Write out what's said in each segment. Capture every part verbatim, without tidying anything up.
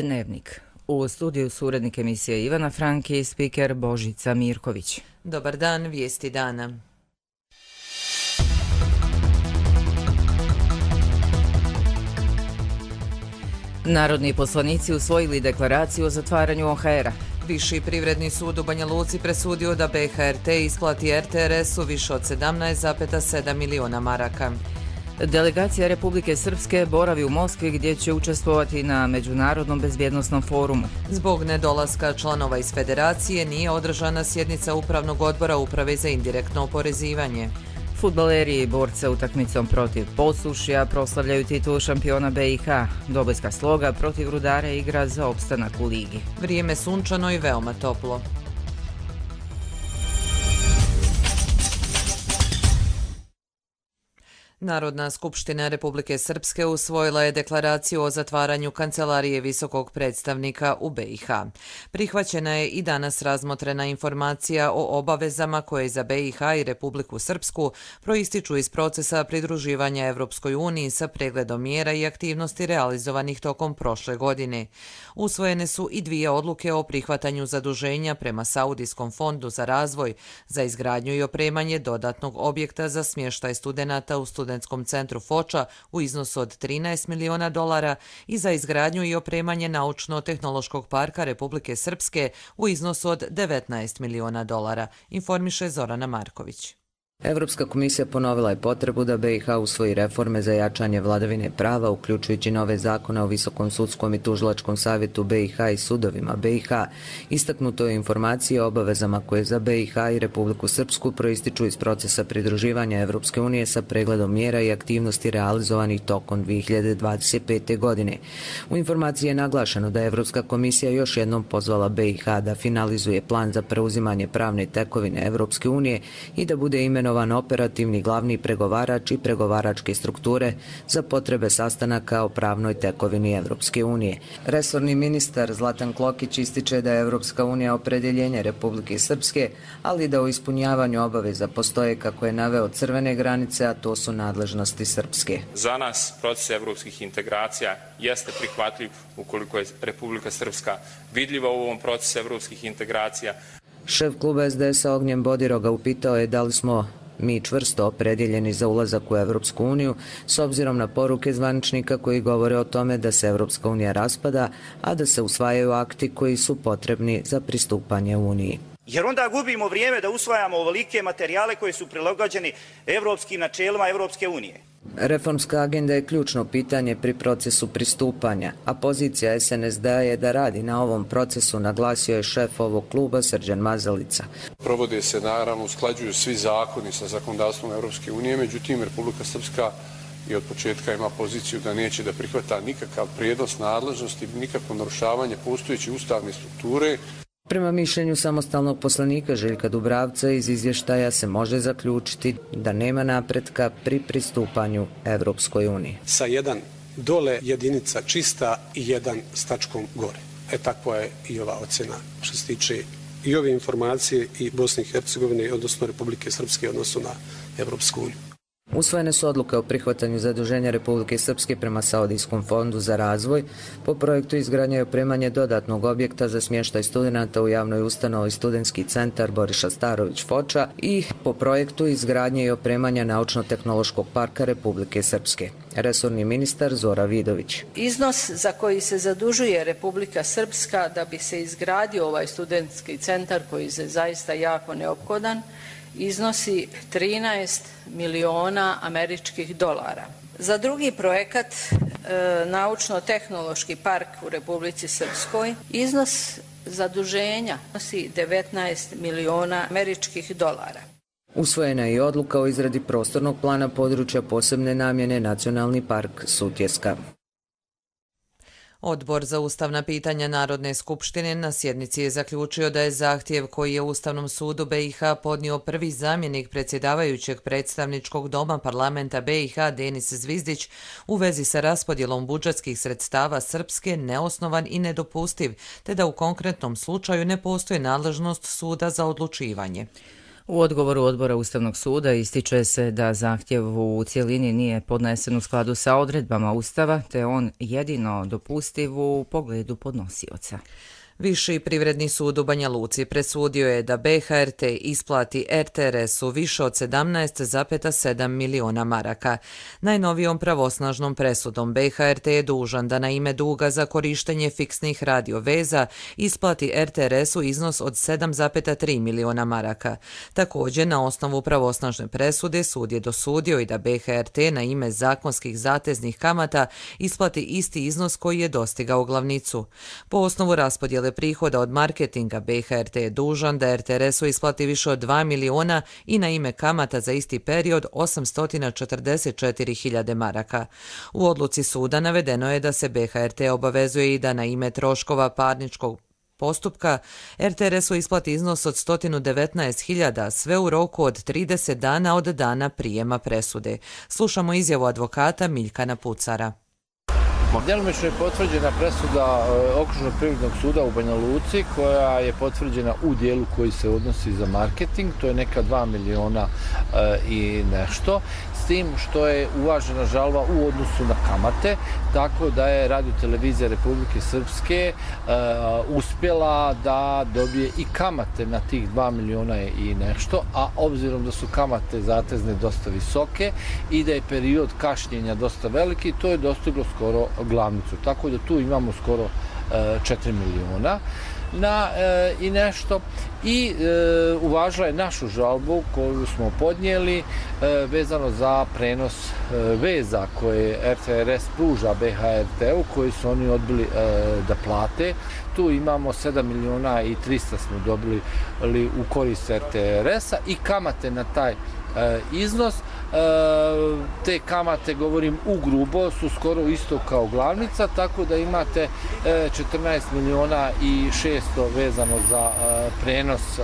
Dnevnik. U studiju su urednik emisije Ivana Franki i spiker Božica Mirković. Dobar dan, vijesti dana. Narodni poslanici usvojili deklaraciju o zatvaranju O H R-a. Viši privredni sud u Banja Luci presudio da B H R T isplati R T R S-u više od sedamnaest zarez sedam miliona maraka. Delegacija Republike Srpske boravi u Moskvi gdje će učestvovati na Međunarodnom bezbjednosnom forumu. Zbog nedolaska članova iz federacije nije održana sjednica Upravnog odbora Uprave za indirektno oporezivanje. Fudbaleri i borca utakmicom protiv Posušja proslavljaju titulu šampiona B i H. Dobojska Sloga protiv Rudara igra za opstanak u ligi. Vrijeme sunčano i veoma toplo. Narodna skupština Republike Srpske usvojila je deklaraciju o zatvaranju Kancelarije visokog predstavnika u B i H. Prihvaćena je i danas razmotrena informacija o obavezama koje za B i H i Republiku Srpsku proističu iz procesa pridruživanja Evropskoj uniji sa pregledom mjera i aktivnosti realizovanih tokom prošle godine. Usvojene su i dvije odluke o prihvatanju zaduženja prema Saudijskom fondu za razvoj za izgradnju i opremanje dodatnog objekta za smještaj studenata u Studentskom centru Foča u iznosu od trinaest miliona dolara i za izgradnju i opremanje naučno-tehnološkog parka Republike Srpske u iznosu od devetnaest miliona dolara, informiše Zorana Marković. Evropska komisija ponovila je potrebu da B i H usvoji reforme za jačanje vladavine prava, uključujući nove zakone o Visokom sudskom i tužilačkom savjetu B i H i sudovima B i H. Istaknuto je informacije o obavezama koje za B i H i Republiku Srpsku proističu iz procesa pridruživanja Evropske unije sa pregledom mjera i aktivnosti realizovanih tokom dvije hiljade dvadeset pete. godine. U informaciji je naglašeno da je Evropska komisija još jednom pozvala B i H da finalizuje plan za preuzimanje pravne tekovine Evropske unije i da bude imenovan operativni glavni pregovarač i pregovaračke strukture za potrebe sastanaka o pravnoj tekovini Evropske unije. Resorni ministar Zlatan Klokić ističe da je Evropska unija opredjeljenje Republike Srpske, ali da u ispunjavanju obaveza postoje, kako je naveo, crvene granice, a to su nadležnosti Srpske. Za nas proces evropskih integracija jeste prihvatljiv ukoliko je Republika Srpska vidljiva u ovom procesu evropskih integracija. Šef kluba S D S-a Ognjen Bodiroga upitao je da li smo mi čvrsto opredjeljeni za ulazak u Evropsku uniju s obzirom na poruke zvaničnika koji govore o tome da se Evropska unija raspada, a da se usvajaju akti koji su potrebni za pristupanje Uniji. Jer onda gubimo vrijeme da usvajamo ovolike materijale koji su prilagođeni evropskim načelima Evropske unije. Reformska agenda je ključno pitanje pri procesu pristupanja, a pozicija S N S D-a je da radi na ovom procesu, naglasio je šef ovog kluba Srđan Mazalica. Provode se, naravno, usklađuju svi zakoni sa zakonodavstvom Evropske unije, međutim Republika Srpska i od početka ima poziciju da neće da prihvata nikakav prijenos nadležnosti, nikakvo narušavanje postojeće ustavne strukture. Prema mišljenju samostalnog poslanika Željka Dubravca iz izvještaja se može zaključiti da nema napretka pri pristupanju Evropskoj uniji. Sa jedan dole jedinica čista i jedan s tačkom gore. E takva je i ova ocjena što se tiče i ove informacije i Bosne i Hercegovine, odnosno Republike Srpske, odnosno na Evropsku uniju. Usvojene su odluke o prihvatanju zaduženja Republike Srpske prema Saudijskom fondu za razvoj po projektu izgradnje i opremanje dodatnog objekta za smještaj studenata u javnoj ustanovi Studentski centar Boriša Starović Foča i po projektu izgradnje i opremanja naučno-tehnološkog parka Republike Srpske. Resorni ministar Zora Vidović. Iznos za koji se zadužuje Republika Srpska da bi se izgradio ovaj studentski centar, koji je zaista jako neophodan, iznosi trinaest miliona američkih dolara. Za drugi projekat, e, naučno-tehnološki park u Republici Srpskoj, iznos zaduženja iznosi devetnaest miliona američkih dolara. Usvojena je i odluka o izradi prostornog plana područja posebne namjene Nacionalni park Sutjeska. Odbor za ustavna pitanja Narodne skupštine na sjednici je zaključio da je zahtjev koji je Ustavnom sudu B i H podnio prvi zamjenik predsjedavajućeg predstavničkog doma parlamenta B i H Denis Zvizdić u vezi sa raspodjelom budžetskih sredstava Srpske neosnovan i nedopustiv, te da u konkretnom slučaju ne postoji nadležnost suda za odlučivanje. U odgovoru odbora Ustavnog suda ističe se da zahtjev u cjelini nije podnesen u skladu sa odredbama Ustava, te on jedino dopustiv u pogledu podnosioca. Viši privredni sud u Banja Luci presudio je da B H R T isplati R T R S-u više od sedamnaest zarez sedam miliona maraka. Najnovijom pravosnažnom presudom B H R T je dužan da na ime duga za korištenje fiksnih radioveza isplati R T R S-u iznos od sedam zarez tri miliona maraka. Također, na osnovu pravosnažne presude sud je dosudio i da B H R T na ime zakonskih zateznih kamata isplati isti iznos koji je dostigao glavnicu. Po osnovu raspodjele prihoda od marketinga B H R T je dužan da R T R S-u isplati više od dva miliona i na ime kamata za isti period osamsto četrdeset četiri hiljade maraka. U odluci suda navedeno je da se B H R T obavezuje i da na ime troškova parničkog postupka R T R S-u isplati iznos od sto devetnaest hiljada, sve u roku od trideset dana od dana prijema presude. Slušamo izjavu advokata Miljkana Pucara. Djelomično je potvrđena presuda Okružnog privrednog suda u Banja Luci koja je potvrđena u dijelu koji se odnosi za marketing, to je neka dva miliona i nešto, s tim što je uvažena žalba u odnosu na kamate, tako da je Radio-televizija Republike Srpske uspjela da dobije i kamate na tih dva miliona i nešto, a obzirom da su kamate zatezne dosta visoke i da je period kašnjenja dosta veliki, to je dostiglo skoro glavnicu. Tako da tu imamo skoro e, četiri miliona na, e, i nešto. I e, uvažila je našu žalbu koju smo podnijeli e, vezano za prenos e, veza koje R T R S pruža B H R T-u, koji su oni odbili e, da plate. Tu imamo sedam miliona i trista smo dobili li, u korist R T R S-a i kamate na taj e, iznos. E, te kamate, govorim u grubo, su skoro isto kao glavnica, tako da imate e, četrnaest miliona i šesto vezano za e, prenos e,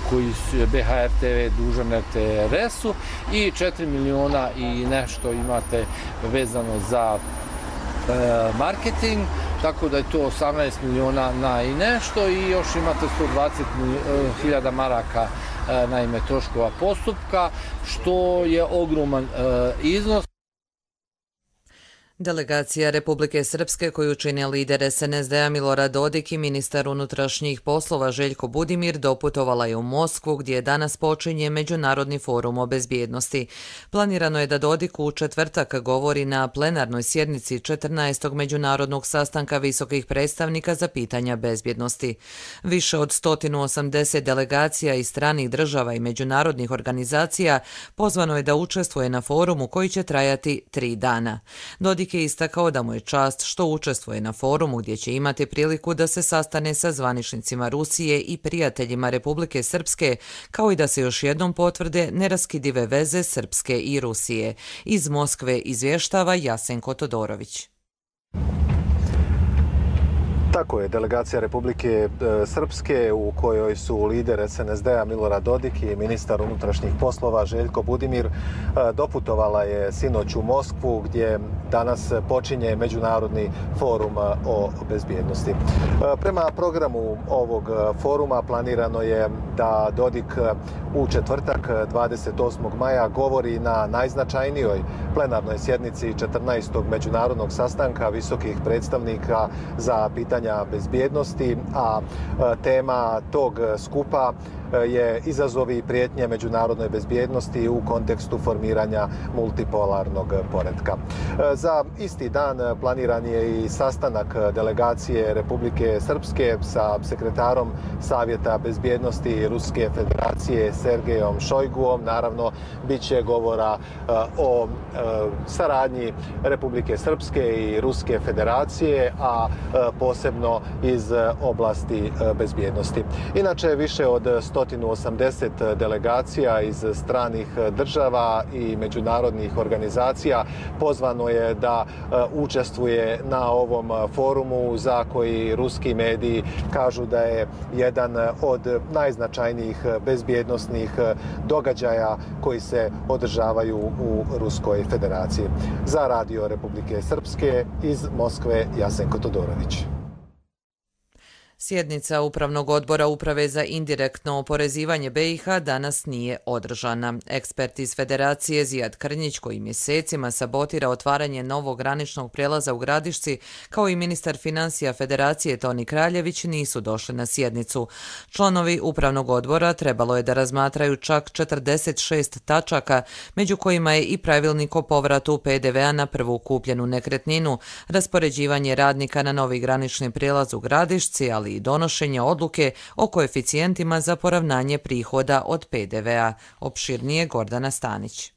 koji je B H R T dužan R T R S-u i četiri miliona i nešto imate vezano za e, marketing, tako da je to osamnaest miliona na i nešto i još imate sto dvadeset hiljada maraka na ime troškova postupka, što je ogroman e, iznos. Delegacija Republike Srpske koju čine lider S N S D-a Milorad Dodik i ministar unutrašnjih poslova Željko Budimir doputovala je u Moskvu gdje danas počinje Međunarodni forum o bezbjednosti. Planirano je da Dodik u četvrtak govori na plenarnoj sjednici četrnaestog međunarodnog sastanka visokih predstavnika za pitanja bezbjednosti. Više od sto osamdeset delegacija iz stranih država i međunarodnih organizacija pozvano je da učestvuje na forumu koji će trajati tri dana. Dodik je istakao da mu je čast što učestvuje na forumu gdje će imati priliku da se sastane sa zvaničnicima Rusije i prijateljima Republike Srpske, kao i da se još jednom potvrde neraskidive veze Srpske i Rusije. Iz Moskve izvještava Jasenko Todorović. Tako je, delegacija Republike Srpske u kojoj su lider S N S D-a Milorad Dodik i ministar unutrašnjih poslova Željko Budimir doputovala je sinoć u Moskvu gdje danas počinje Međunarodni forum o bezbjednosti. Prema programu ovog foruma planirano je da Dodik u četvrtak dvadeset osmog maja govori na najznačajnijoj plenarnoj sjednici četrnaestog međunarodnog sastanka visokih predstavnika za pitanje bezbjednosti, a tema tog skupa je izazovi i prijetnje međunarodnoj bezbjednosti u kontekstu formiranja multipolarnog poretka. Za isti dan planiran je i sastanak delegacije Republike Srpske sa sekretarom Savjeta bezbjednosti Ruske federacije Sergejom Šojguom. Naravno, bit će govora o saradnji Republike Srpske i Ruske federacije, a posebno iz oblasti bezbjednosti. Inače, više od sto osamdeset delegacija iz stranih država i međunarodnih organizacija pozvano je da učestvuje na ovom forumu za koji ruski mediji kažu da je jedan od najznačajnijih bezbjednosnih događaja koji se održavaju u Ruskoj federaciji. Za Radio Republike Srpske iz Moskve Jasenko Todorović. Sjednica Upravnog odbora Uprave za indirektno oporezivanje B i H danas nije održana. Ekspert iz Federacije Zijad Krnjić, koji mjesecima sabotira otvaranje novog graničnog prijelaza u Gradišci, kao i ministar financija Federacije Toni Kraljević, nisu došli na sjednicu. Članovi Upravnog odbora trebalo je da razmatraju čak četrdeset šest tačaka, među kojima je i pravilnik o povratu P D V-a na prvu kupljenu nekretninu, raspoređivanje radnika na novi granični prijelaz u Gradišci, ali i donošenje odluke o koeficijentima za poravnanje prihoda od P D V-a. Opširnije Gordana Stanić.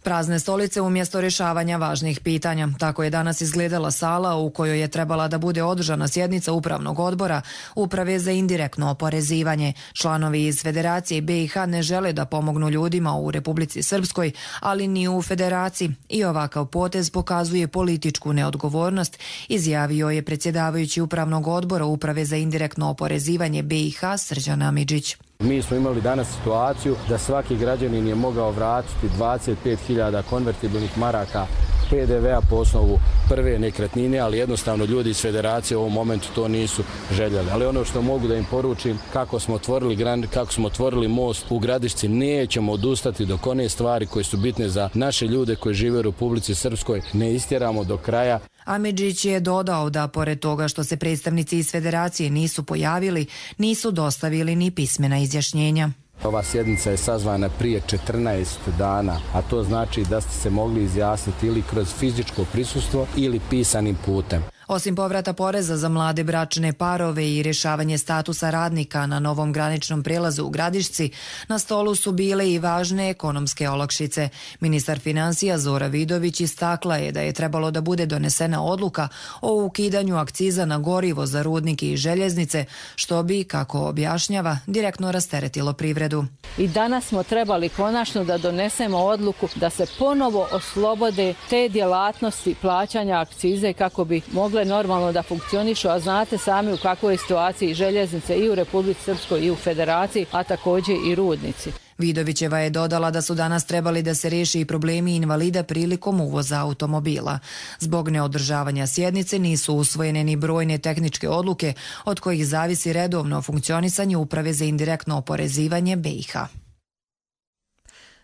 Prazne stolice umjesto rješavanja važnih pitanja. Tako je danas izgledala sala u kojoj je trebala da bude održana sjednica Upravnog odbora Uprave za indirektno oporezivanje. Članovi iz Federacije B i H ne žele da pomognu ljudima u Republici Srpskoj, ali ni u Federaciji. I ovakav potez pokazuje političku neodgovornost, izjavio je predsjedavajući Upravnog odbora Uprave za indirektno oporezivanje B i H Srđan Amidžić. Mi smo imali danas situaciju da svaki građanin je mogao vratiti dvadeset pet hiljada konvertibilnih maraka P D V-a po osnovu prve nekretnine, ali jednostavno ljudi iz Federacije u ovom momentu to nisu željeli. Ali ono što mogu da im poručim, kako smo otvorili gran, kako smo otvorili most u Gradišci, nećemo odustati dok one stvari koje su bitne za naše ljude koji žive u Republici Srpskoj ne istjeramo do kraja. Amidžić je dodao da pored toga što se predstavnici iz Federacije nisu pojavili, nisu dostavili ni pismena izjašnjenja. Ova sjednica je sazvana prije četrnaest dana, a to znači da ste se mogli izjasniti ili kroz fizičko prisustvo ili pisanim putem. Osim povrata poreza za mlade bračne parove i rješavanje statusa radnika na novom graničnom prijelazu u Gradišci, na stolu su bile i važne ekonomske olakšice. Ministar financija Zora Vidović istakla je da je trebalo da bude donesena odluka o ukidanju akciza na gorivo za rudnike i željeznice, što bi, kako objašnjava, direktno rasteretilo privredu. I danas smo trebali konačno da donesemo odluku da se ponovo oslobode te djelatnosti plaćanja akcize kako bi mogli normalno da funkcionišu, a znate sami u kakvoj je situaciji željeznice i u Republici Srpskoj i u Federaciji, a također i rudnici. Vidovićeva je dodala da su danas trebali da se riješi i problemi invalida prilikom uvoza automobila. Zbog neodržavanja sjednice nisu usvojene ni brojne tehničke odluke od kojih zavisi redovno funkcionisanje Uprave za indirektno oporezivanje B i H.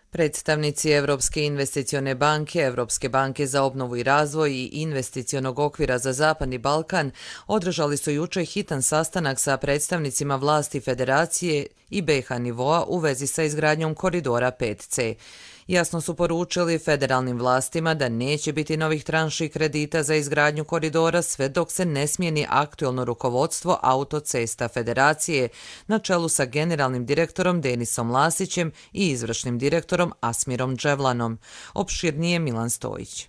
Predstavnici Evropske investicione banke, Evropske banke za obnovu i razvoj i investicionog okvira za Zapadni Balkan održali su jučer hitan sastanak sa predstavnicima vlasti Federacije i B i H nivoa u vezi sa izgradnjom koridora pet C. Jasno su poručili federalnim vlastima da neće biti novih tranši kredita za izgradnju koridora sve dok se ne smijeni aktuelno rukovodstvo Autocesta Federacije na čelu sa generalnim direktorom Denisom Lasićem i izvršnim direktorom Asmirom Dževlanom. Opširnije Milan Stojić.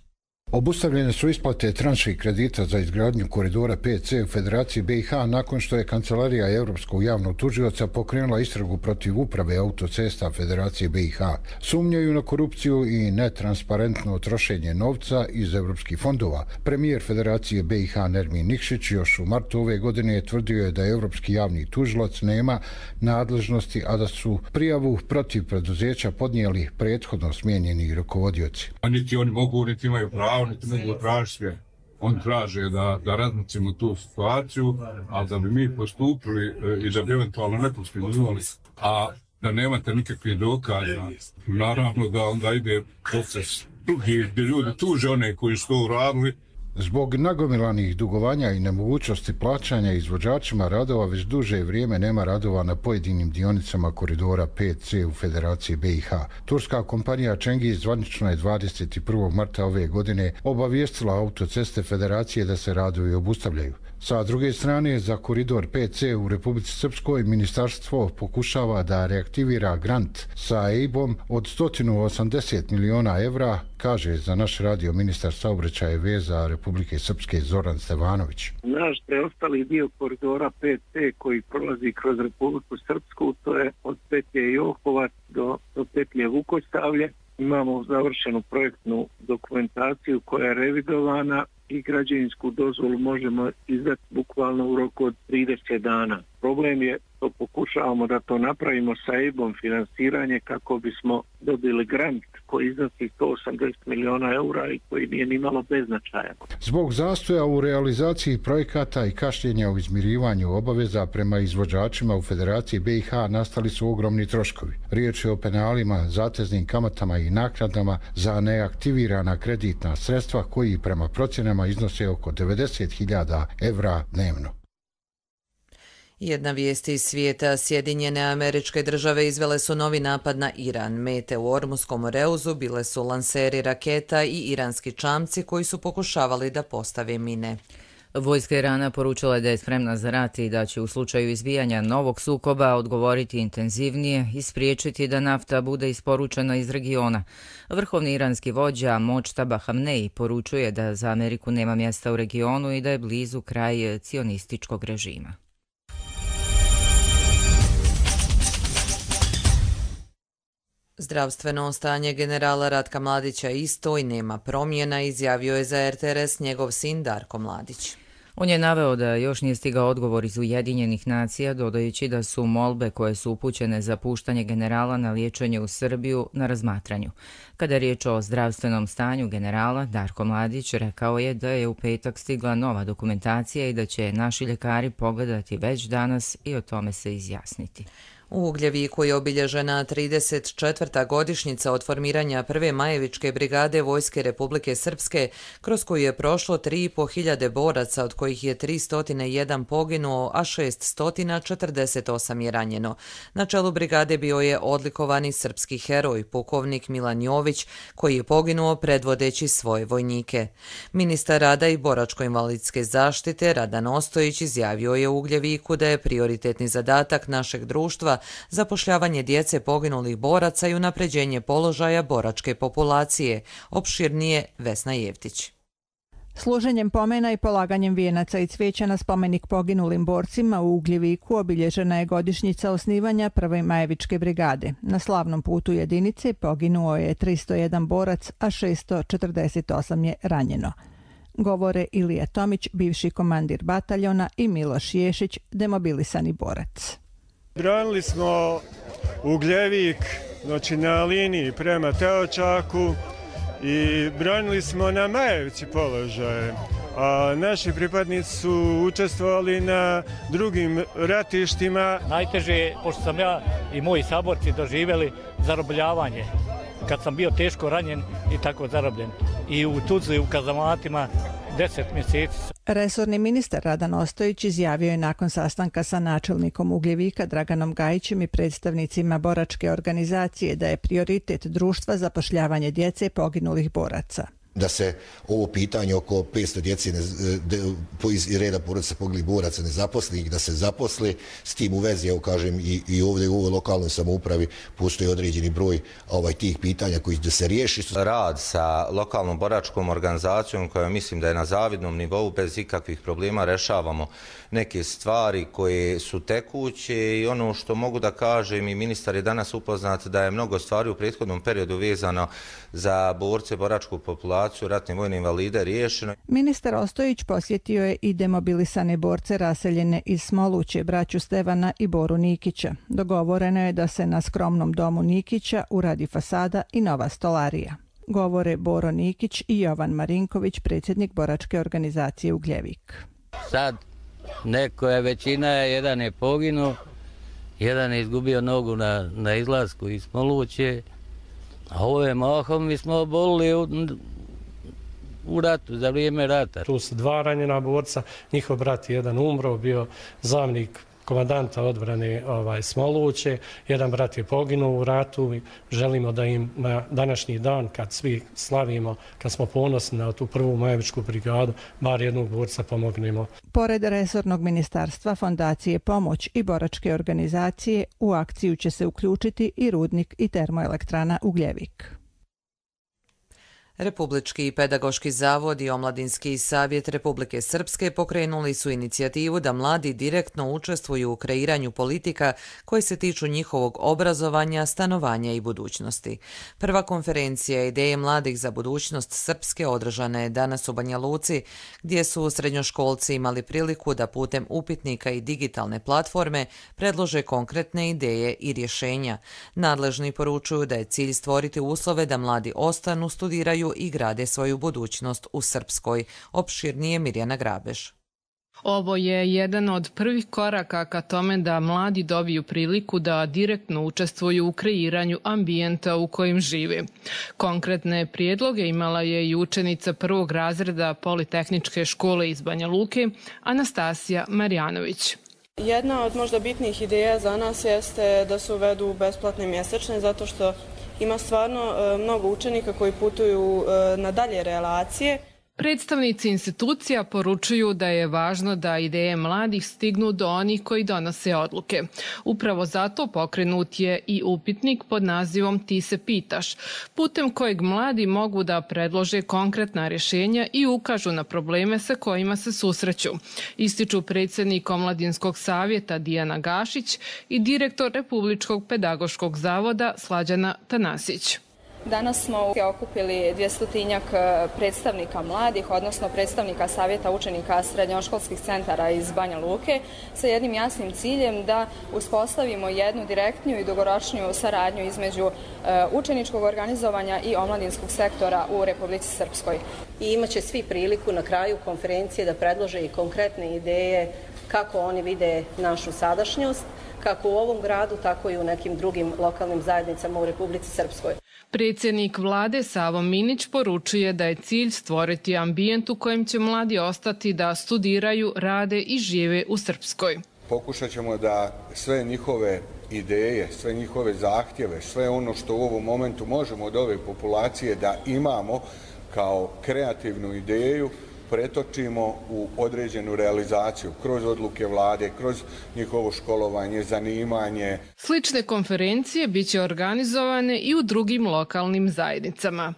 Obustavljene su isplate tranši kredita za izgradnju koridora pet C u Federaciji B i H nakon što je Kancelarija Europskog javnog tužioca pokrenula istragu protiv Uprave Autocesta Federacije B i H. Sumnjaju na korupciju i netransparentno trošenje novca iz europskih fondova. Premijer Federacije B i H Nermin Nikšić još u martu ove godine tvrdio je da Europski javni tužilac nema nadležnosti, a da su prijavu protiv preduzeća podnijeli prethodno smijenjeni rukovodioci. Niti oni mogu, niti imaju pravo, niti mogu tražiti sve. Oni traže da, da razmicimo tu situaciju, a da bi mi postupili i da bi eventualno ne postupili, a da nemate nikakve dokaza, naravno da onda ide proces drugi, gdje ljudi tuže one koji su to uradili. Zbog nagomilanih dugovanja i nemogućnosti plaćanja izvođačima radova već duže vrijeme nema radova na pojedinim dionicama koridora pet C u Federaciji B i H. Turska kompanija Cengiz zvanično je dvadeset prvog marta ove godine obavijestila Autoceste Federacije da se radovi obustavljaju. Sa druge strane, za koridor pet C u Republici Srpskoj ministarstvo pokušava da reaktivira grant sa E I B-om od sto osamdeset miliona evra, kaže za naš radio ministar saobraćaja i veza Republike Srpske Zoran Stevanović. Naš preostali dio koridora pet C koji prolazi kroz Republiku Srpsku, to je od petlje Johovac do, do petlje Vukostavlje. Imamo završenu projektnu dokumentaciju koja je revidovana i građevinsku dozvolu možemo izdati bukvalno u roku od trideset dana. problem je što pokušavamo da to napravimo sa E I B-om finansiranje kako bismo dobili grant koji iznosi sto osamdeset miliona eura i koji nije ni malo beznačajan. Zbog zastoja u realizaciji projekata i kašnjenja u izmirivanju obaveza prema izvođačima u Federaciji B i H nastali su ogromni troškovi. Riječ je o penalima, zateznim kamatama i naknadama za neaktivirana kreditna sredstva koji prema procjenama iznose oko devedeset hiljada evra dnevno. Jedna vijest iz svijeta. Sjedinjene Američke Države izvele su novi napad na Iran. Mete u Ormuskom moreuzu bile su lanseri raketa i iranski čamci koji su pokušavali da postave mine. Vojska Irana poručila je da je spremna za rat i da će u slučaju izbijanja novog sukoba odgovoriti intenzivnije i spriječiti da nafta bude isporučena iz regiona. Vrhovni iranski vođa Močtaba Hamneji poručuje da za Ameriku nema mjesta u regionu i da je blizu kraj cionističkog režima. Zdravstveno stanje generala Ratka Mladića isto i nema promjena, izjavio je za R T R S njegov sin Darko Mladić. On je naveo da još nije stigao odgovor iz Ujedinjenih nacija, dodajući da su molbe koje su upućene za puštanje generala na liječenje u Srbiju na razmatranju. Kada je riječ o zdravstvenom stanju generala, Darko Mladić rekao je da je u petak stigla nova dokumentacija i da će naši ljekari pogledati već danas i o tome se izjasniti. U Ugljeviku je obilježena trideset četvrta godišnjica od formiranja prve Majevičke brigade Vojske Republike Srpske, kroz koju je prošlo tri i po hiljade boraca, od kojih je tristo jedan poginuo, a šeststo četrdeset osam je ranjeno. Na čelu brigade bio je odlikovani srpski heroj, pukovnik Milan Jović, koji je poginuo predvodeći svoje vojnike. Ministar rada i boračko-invalidske zaštite Radan Ostojić izjavio je u Ugljeviku da je prioritetni zadatak našeg društva zapošljavanje djece poginulih boraca i unapređenje položaja boračke populacije. Opširnije Vesna Jevtić. Služenjem pomena i polaganjem vijenaca i cvijeća na spomenik poginulim borcima u Ugljeviku obilježena je godišnjica osnivanja prve Majevičke brigade. Na slavnom putu jedinice poginuo je tristo jedan borac, a šeststo četrdeset osam je ranjeno. Govore Ilija Tomić, bivši komandir bataljona, i Miloš Ješić, demobilisani borac. Branili smo Ugljevik, znači na liniji prema Teočaku, i branili smo na Majevci položaje, a naši pripadnici su učestvovali na drugim ratištima. Najteže je, pošto sam ja i moji saborci doživjeli zarobljavanje, kad sam bio teško ranjen i tako zarobljen. I u Tuzli, u kazamatima, deset mjeseci. Resorni ministar Radan Ostojić izjavio je nakon sastanka sa načelnikom Ugljevika Draganom Gajićem i predstavnicima boračke organizacije da je prioritet društva zapošljavanje djece poginulih boraca. Da se ovo pitanje oko petsto djece iz reda porodica poginulih boraca ne zaposli, da se zaposli. S tim u vezi, evo kažem, i, i ovdje u ovoj lokalnoj samoupravi postoji određeni broj ovaj, tih pitanja koji da se riješi. Rad sa lokalnom boračkom organizacijom koja mislim da je na zavidnom nivou, bez ikakvih problema rešavamo neke stvari koje su tekuće, i ono što mogu da kažem, i ministar je danas upoznat da je mnogo stvari u prethodnom periodu vezano za borce, boračku populaciju, ratne vojne invalide riješeno. Ministar Ostojić posjetio je i demobilisane borce raseljene iz Smoluće, braću Stevana i Boru Nikića. Dogovoreno je da se na skromnom domu Nikića uradi fasada i nova stolarija. Govore Boro Nikić i Jovan Marinković, predsjednik boračke organizacije Ugljevik. Sad neko je, većina je, jedan je poginuo, jedan je izgubio nogu na, na izlasku iz Smoluće, a ove mahom mi smo obolili u, u ratu, za vrijeme rata. Tu su dva ranjena borca, njihov brat jedan umro, bio zamjenik komandanta odbrane ovaj, Smoluće, jedan brat je poginuo u ratu i želimo da im na današnji dan, kad svi slavimo, kad smo ponosni na tu prvu Majevičku brigadu, bar jednog borca pomognemo. Pored resornog ministarstva, fondacije Pomoć i boračke organizacije, u akciju će se uključiti i rudnik i termoelektrana Ugljevik. Republički pedagoški zavod i Omladinski savjet Republike Srpske pokrenuli su inicijativu da mladi direktno učestvuju u kreiranju politika koje se tiču njihovog obrazovanja, stanovanja i budućnosti. Prva konferencija Ideje mladih za budućnost Srpske održana je danas u Banja Luci, gdje su srednjoškolci imali priliku da putem upitnika i digitalne platforme predlože konkretne ideje i rješenja. Nadležni poručuju da je cilj stvoriti uslove da mladi ostanu, studiraju i grade svoju budućnost u Srpskoj. Opširnije Mirjana Grabež. Ovo je jedan od prvih koraka ka tome da mladi dobiju priliku da direktno učestvuju u kreiranju ambijenta u kojem žive. Konkretne prijedloge imala je i učenica prvog razreda Politehničke škole iz Banja Luke, Anastasija Marjanović. Jedna od možda bitnih ideja za nas jeste da se uvedu besplatne mjesečne, zato što ima stvarno mnogo učenika koji putuju na dalje relacije. Predstavnici institucija poručuju da je važno da ideje mladih stignu do onih koji donose odluke. Upravo zato pokrenut je i upitnik pod nazivom Ti se pitaš, putem kojeg mladi mogu da predlože konkretna rješenja i ukažu na probleme sa kojima se susreću. Ističu predsjednik Omladinskog savjeta Dijana Gašić i direktor Republičkog pedagoškog zavoda Slađana Tanasić. Danas smo okupili dvjestotinjak predstavnika mladih, odnosno predstavnika Savjeta učenika srednjoškolskih centara iz Banja Luke, sa jednim jasnim ciljem da uspostavimo jednu direktniju i dugoročniju saradnju između učeničkog organizovanja i omladinskog sektora u Republici Srpskoj. I imaće svi priliku na kraju konferencije da predlože i konkretne ideje kako oni vide našu sadašnjost, kako u ovom gradu, tako i u nekim drugim lokalnim zajednicama u Republici Srpskoj. Predsjednik vlade Savo Minić poručuje da je cilj stvoriti ambijent u kojem će mladi ostati da studiraju, rade i žive u Srpskoj. Pokušat ćemo da sve njihove ideje, sve njihove zahtjeve, sve ono što u ovom momentu možemo od ove populacije da imamo kao kreativnu ideju, pretočimo u određenu realizaciju kroz odluke vlade, kroz njihovo školovanje, zanimanje. Slične konferencije biće organizovane i u drugim lokalnim zajednicama.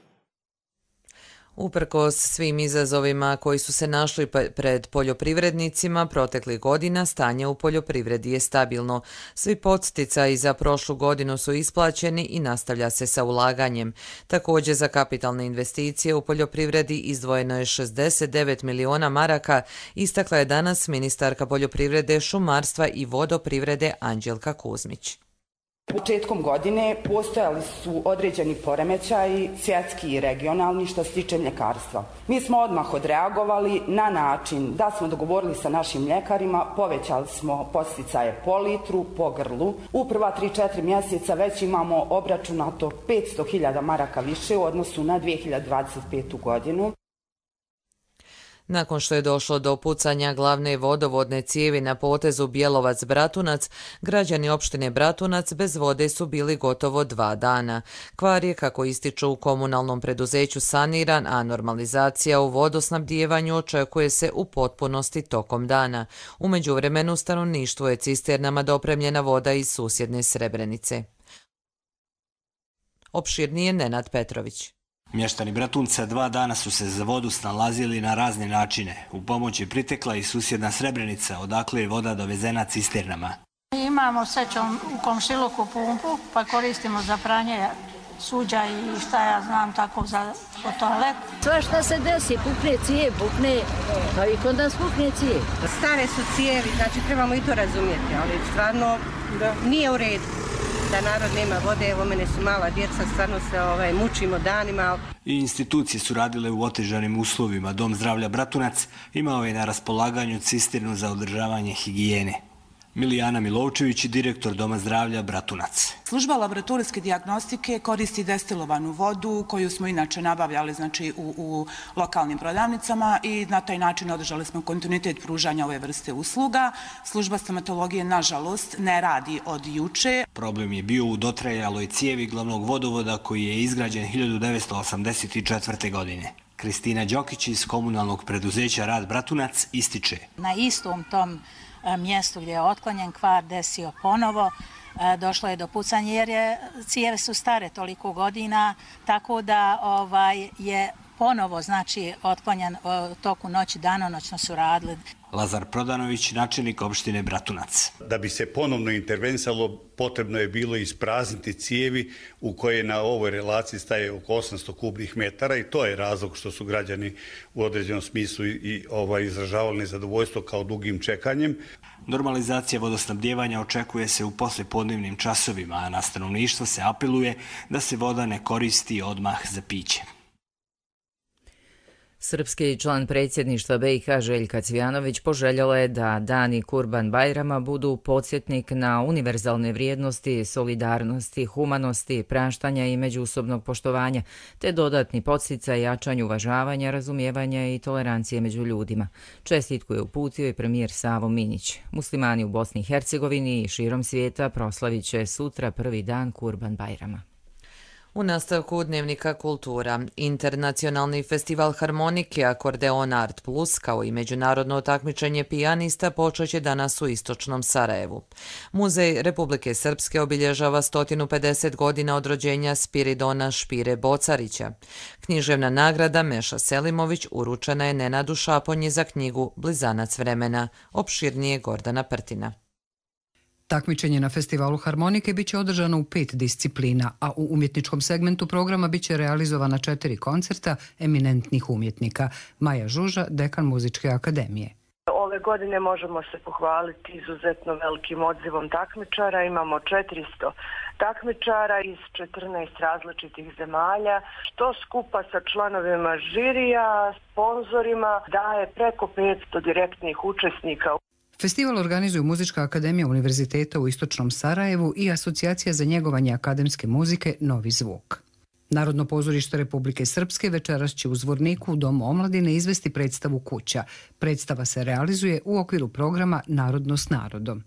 Uprkos svim izazovima koji su se našli pred poljoprivrednicima proteklih godina, stanje u poljoprivredi je stabilno. Svi podsticaji za prošlu godinu su isplaćeni i nastavlja se sa ulaganjem. Također za kapitalne investicije u poljoprivredi izdvojeno je šezdeset devet miliona maraka, istakla je danas ministarka poljoprivrede, šumarstva i vodoprivrede Anđelka Kuzmić. Početkom godine postojali su određeni poremećaji, svjetski i regionalni, što se tiče mljekarstva. Mi smo odmah odreagovali na način da smo dogovorili sa našim mljekarima, povećali smo podsticaje po litru, po grlu. U prva tri četiri mjeseca već imamo obračunato petsto hiljada maraka više u odnosu na dvije hiljade dvadeset petu godinu. Nakon što je došlo do pucanja glavne vodovodne cijevi na potezu Bjelovac-Bratunac, građani opštine Bratunac bez vode su bili gotovo dva dana. Kvar je, kako ističu u komunalnom preduzeću, saniran, a normalizacija u vodosnabdijevanju očekuje se u potpunosti tokom dana. U međuvremenu stanovništvu je cisternama dopremljena voda iz susjedne Srebrenice. Opširnije Nenad Petrović. Mještani Bratunca dva dana su se za vodu snalazili na razne načine. U pomoć je pritekla i susjedna Srebrenica, odakle je voda dovezena cisternama. Imamo srećom u komšiluku pumpu, pa koristimo za pranje suđa i šta ja znam tako za toalet. Sve što se desi, pukne cijev, pukne, pa i kod nas pukne cijev. Stare su cijevi, znači trebamo i to razumjeti, ali stvarno da. Nije u redu da narod nema vode. Evo, mene su mala djeca, stvarno se ovaj, mučimo danima. I institucije su radile u otežanim uslovima. Dom zdravlja Bratunac imao je na raspolaganju cisternu za održavanje higijene. Milijana Milovčević, direktor Doma zdravlja Bratunac. Služba laboratorijske dijagnostike koristi destilovanu vodu koju smo inače nabavljali znači, u, u lokalnim prodavnicama i na taj način održali smo kontinuitet pružanja ove vrste usluga. Služba stomatologije, nažalost, ne radi od juče. Problem je bio u dotrajaloj cijevi glavnog vodovoda koji je izgrađen hiljadu devetsto osamdeset četvrte. godine. Kristina Đokić iz komunalnog preduzeća Rad Bratunac ističe. Na istom tom mjestu gdje je otklonjen kvar desio ponovo došlo je do pucanja jer je, cijeve su stare toliko godina, tako da ovaj, je ponovo znači otklonjan u toku noći, danonoćno su radili. Lazar Prodanović, načelnik opštine Bratunac. Da bi se ponovno intervenisalo, potrebno je bilo isprazniti cijevi u koje na ovoj relaciji staje oko osamsto kubnih metara i to je razlog što su građani u određenom smislu i ovaj, izražavali nezadovoljstvo kao dugim čekanjem. Normalizacija vodosnabdjevanja očekuje se u poslijepodnevnim časovima, a na stanovništvo se apeluje da se voda ne koristi odmah za piće. Srpski član predsjedništva B i H Željka Cvijanović poželjela je da dani Kurban Bajrama budu podsjetnik na univerzalne vrijednosti, solidarnosti, humanosti, praštanja i međusobnog poštovanja, te dodatni podsticaj jačanju uvažavanja, razumijevanja i tolerancije među ljudima. Čestitku je uputio i premijer Savo Minić. Muslimani u Bosni i Hercegovini i širom svijeta proslavit će sutra prvi dan Kurban Bajrama. U nastavku Dnevnika kultura, internacionalni festival harmonike Akordeon Art Plus kao i međunarodno takmičenje pijanista počet će danas u istočnom Sarajevu. Muzej Republike Srpske obilježava sto pedeset godina od rođenja Spiridona Špire Bocarića. Književna nagrada Meša Selimović uručena je Nenadu Šaponji za knjigu Blizanac vremena, opširnije Gordana Prtina. Takmičenje na festivalu harmonike biće održano u pet disciplina, a u umjetničkom segmentu programa biće realizovana četiri koncerta eminentnih umjetnika. Maja Žuža, dekan Muzičke akademije. Ove godine možemo se pohvaliti izuzetno velikim odzivom takmičara. Imamo četiristo takmičara iz četrnaest različitih zemalja, što skupa sa članovima žirija, sponzorima daje preko petsto direktnih učesnika. Festival organizuju Muzička akademija Univerziteta u Istočnom Sarajevu i Asocijacija za njegovanje akademske muzike Novi zvuk. Narodno pozorište Republike Srpske večeras će u Zvorniku u Domu omladine izvesti predstavu Kuća. Predstava se realizuje u okviru programa Narodno s narodom.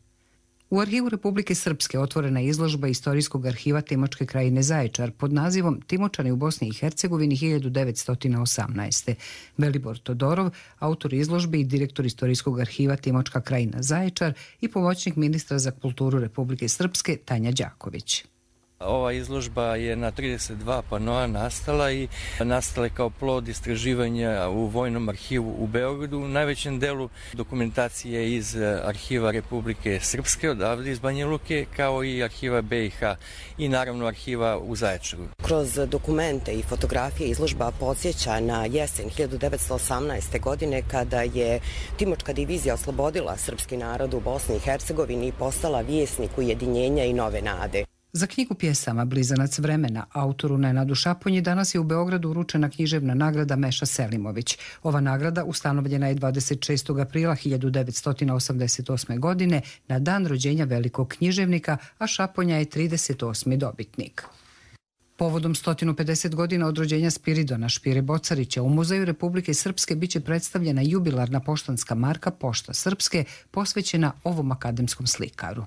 U Arhivu Republike Srpske otvorena je izložba Istorijskog arhiva Timočke krajine Zaječar pod nazivom Timočani u Bosni i Hercegovini hiljadu devetsto osamnaeste. Velibor Todorov, autor izložbe i direktor Istorijskog arhiva Timočka krajina Zaječar i pomoćnik ministra za kulturu Republike Srpske Tanja Đaković. Ova izložba je na trideset dva panoa nastala i nastala je kao plod istraživanja u Vojnom arhivu u Beogradu. U najvećem delu dokumentacije iz arhiva Republike Srpske, odavde iz Banja Luke, kao i arhiva B i H i naravno arhiva u Zaječaru. Kroz dokumente i fotografije izložba podsjeća na jesen hiljadu devetsto osamnaeste. godine kada je Timočka divizija oslobodila srpski narod u Bosni i Hercegovini i postala vjesnik ujedinjenja i nove nade. Za knjigu pjesama Blizanac vremena autoru Nenadu Šaponji danas je u Beogradu uručena književna nagrada Meša Selimović. Ova nagrada ustanovljena je dvadeset šestog aprila hiljadu devetsto osamdeset osme. godine na dan rođenja velikog književnika, a Šaponja je trideset osmi dobitnik. Povodom sto pedeset godina od rođenja Spiridona Špire Bocarića u Muzeju Republike Srpske biće predstavljena jubilarna poštanska marka Pošta Srpske posvećena ovom akademskom slikaru.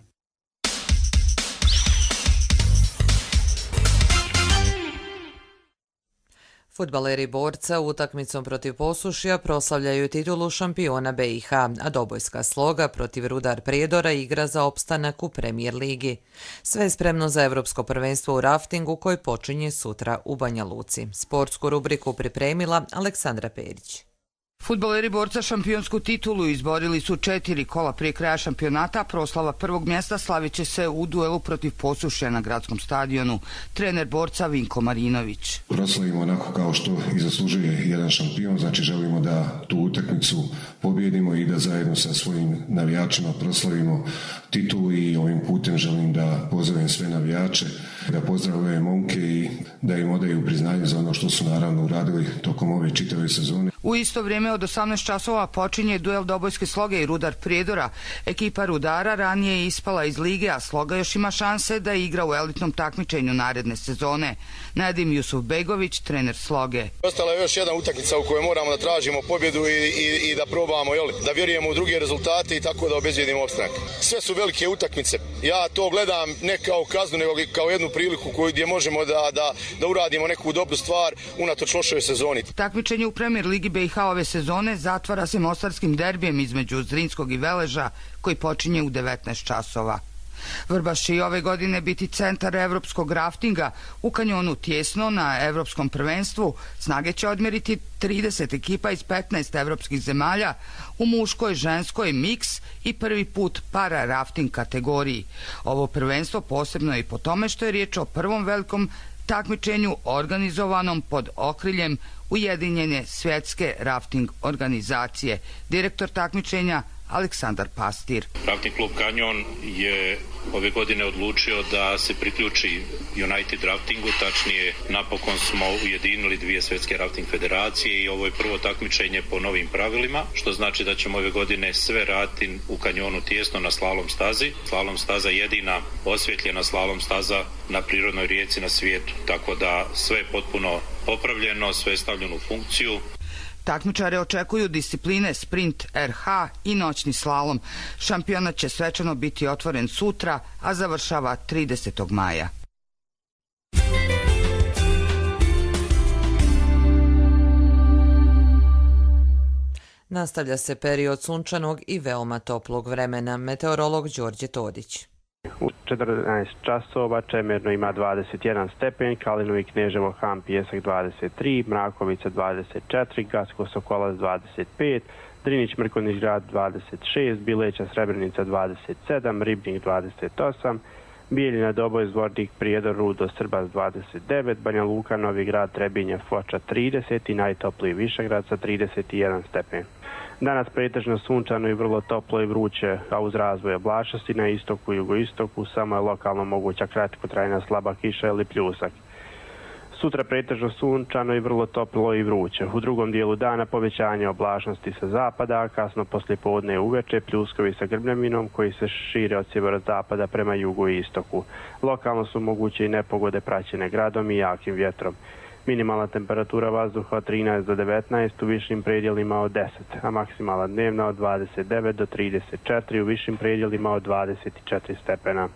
Fudbaleri Borca utakmicom protiv Posušja proslavljaju titulu šampiona B i H, a Dobojska Sloga protiv Rudar Prijedora igra za opstanak u Premijer ligi. Sve je spremno za Evropsko prvenstvo u raftingu koje počinje sutra u Banja Luci. Sportsku rubriku pripremila Aleksandra Perić. Fudbaleri Borca šampionsku titulu izborili su četiri kola prije kraja šampionata. Proslava prvog mjesta slavit će se u duelu protiv Posušja na gradskom stadionu. Trener Borca Vinko Marinović. Proslavimo onako kao što i zaslužuje jedan šampion, znači želimo da tu utakmicu pobjedimo i da zajedno sa svojim navijačima proslavimo titulu i ovim putem želim da pozovem sve navijače, da pozdravljaju momke i da im odaju priznanje za ono što su naravno uradili tokom ove čitave sezone. U isto vrijeme od osamnaest časova počinje duel Dobojske Sloge i Rudar Prijedora. Ekipa Rudara ranije je ispala iz lige, a Sloga još ima šanse da igra u elitnom takmičenju naredne sezone. Nadim Jusuf Begović, trener Sloge. Ostala je još jedna utakmica u kojoj moramo da tražimo pobjedu i, i, i da probamo, jel, da vjerujemo u druge rezultate i tako da obezbijedimo opstanak. Sve su velike utakmice. Ja to gledam ne kao kaznu, nego kao jednu priliku koju gdje možemo da, da, da uradimo neku dobru stvar unatoč lošoj sezoni. Takmičenje u Premijer ligi B i H ove sezone zatvara se mostarskim derbijem između Zrinskog i Veleža koji počinje u devetnaest časova. Vrbaš će i ove godine biti centar evropskog raftinga. U kanjonu Tijesno na evropskom prvenstvu snage će odmjeriti trideset ekipa iz petnaest evropskih zemalja u muškoj, ženskoj, miks i prvi put para rafting kategoriji. Ovo prvenstvo posebno je i po tome što je riječ o prvom velikom takmičenju organizovanom pod okriljem Ujedinjene svjetske rafting organizacije. Direktor takmičenja Aleksandar Pastir. Rafting klub Kanjon je ove godine odlučio da se priključi United Raftingu, tačnije napokon smo ujedinili dvije svjetske rafting federacije i ovo je prvo takmičenje po novim pravilima, što znači da ćemo ove godine sve raditi u kanjonu Tijesno na slalom stazi. Slalom staza jedina osvjetljena slalom staza na prirodnoj rijeci na svijetu, tako da sve je potpuno popravljeno, sve je stavljeno u funkciju. Takmičare očekuju discipline sprint R H i noćni slalom. Šampionat će svečano biti otvoren sutra, a završava tridesetog maja. Nastavlja se period sunčanog i veoma toplog vremena. Meteorolog Đorđe Todić. U četrnaest časova Čemerno ima dvadeset jedan stepen, Kalinovo i Kneževo Han Pijesak dvadeset tri, Mrakovica dvadeset četiri, Gacko Sokolac dvadeset pet, Drinić Mrkonjić Grad dvadeset šest, Bileća Srebrenica dvadeset sedam, Ribnik dvadeset osam, Bijeljina Doboj Zvornik Prijedor Rudo Srbas dvadeset devet, Banja Luka Novi Grad Trebinje Foča trideset i najtopliji Višegrad sa trideset jedan stepen. Danas pretežno sunčano i vrlo toplo i vruće, a uz razvoj oblačnosti na istoku i jugoistoku samo je lokalno moguća kratkotrajna slaba kiša ili pljusak. Sutra pretežno sunčano i vrlo toplo i vruće. U drugom dijelu dana povećanje oblačnosti sa zapada, a kasno poslijepodne uveče pljuskovi sa grmljavinom koji se šire od sjeverozapada prema jugu i istoku. Lokalno su moguće i nepogode praćene gradom i jakim vjetrom. Minimalna temperatura vazduha od trinaest do devetnaest, u višim predjelima od deset, a maksimalna dnevna od dvadeset devet do trideset četiri, u višim predjelima od dvadeset četiri stepena.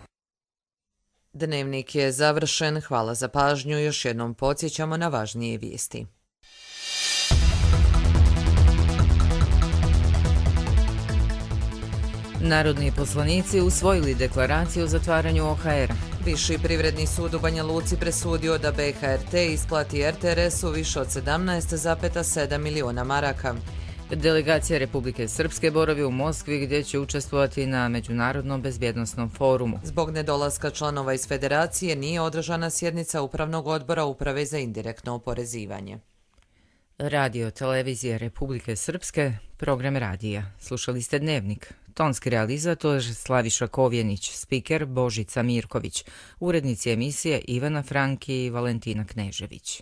Dnevnik je završen. Hvala za pažnju. Još jednom podsjećamo na važnije vijesti. Narodni poslanici usvojili deklaraciju o zatvaranju O H R-a. Viši privredni sud u Banja Luci presudio da B H R T isplati R T R S-u više od sedamnaest zarez sedam miliona maraka. Delegacija Republike Srpske boravi u Moskvi gdje će učestvovati na Međunarodnom bezbjednosnom forumu. Zbog nedolaska članova iz federacije nije održana sjednica Upravnog odbora Uprave za indirektno oporezivanje. Radio Televizije Republike Srpske, program radija. Slušali ste Dnevnik. Tonski realizator Slaviša Kovjenić, spiker Božica Mirković, urednici emisije Ivana Franki i Valentina Knežević.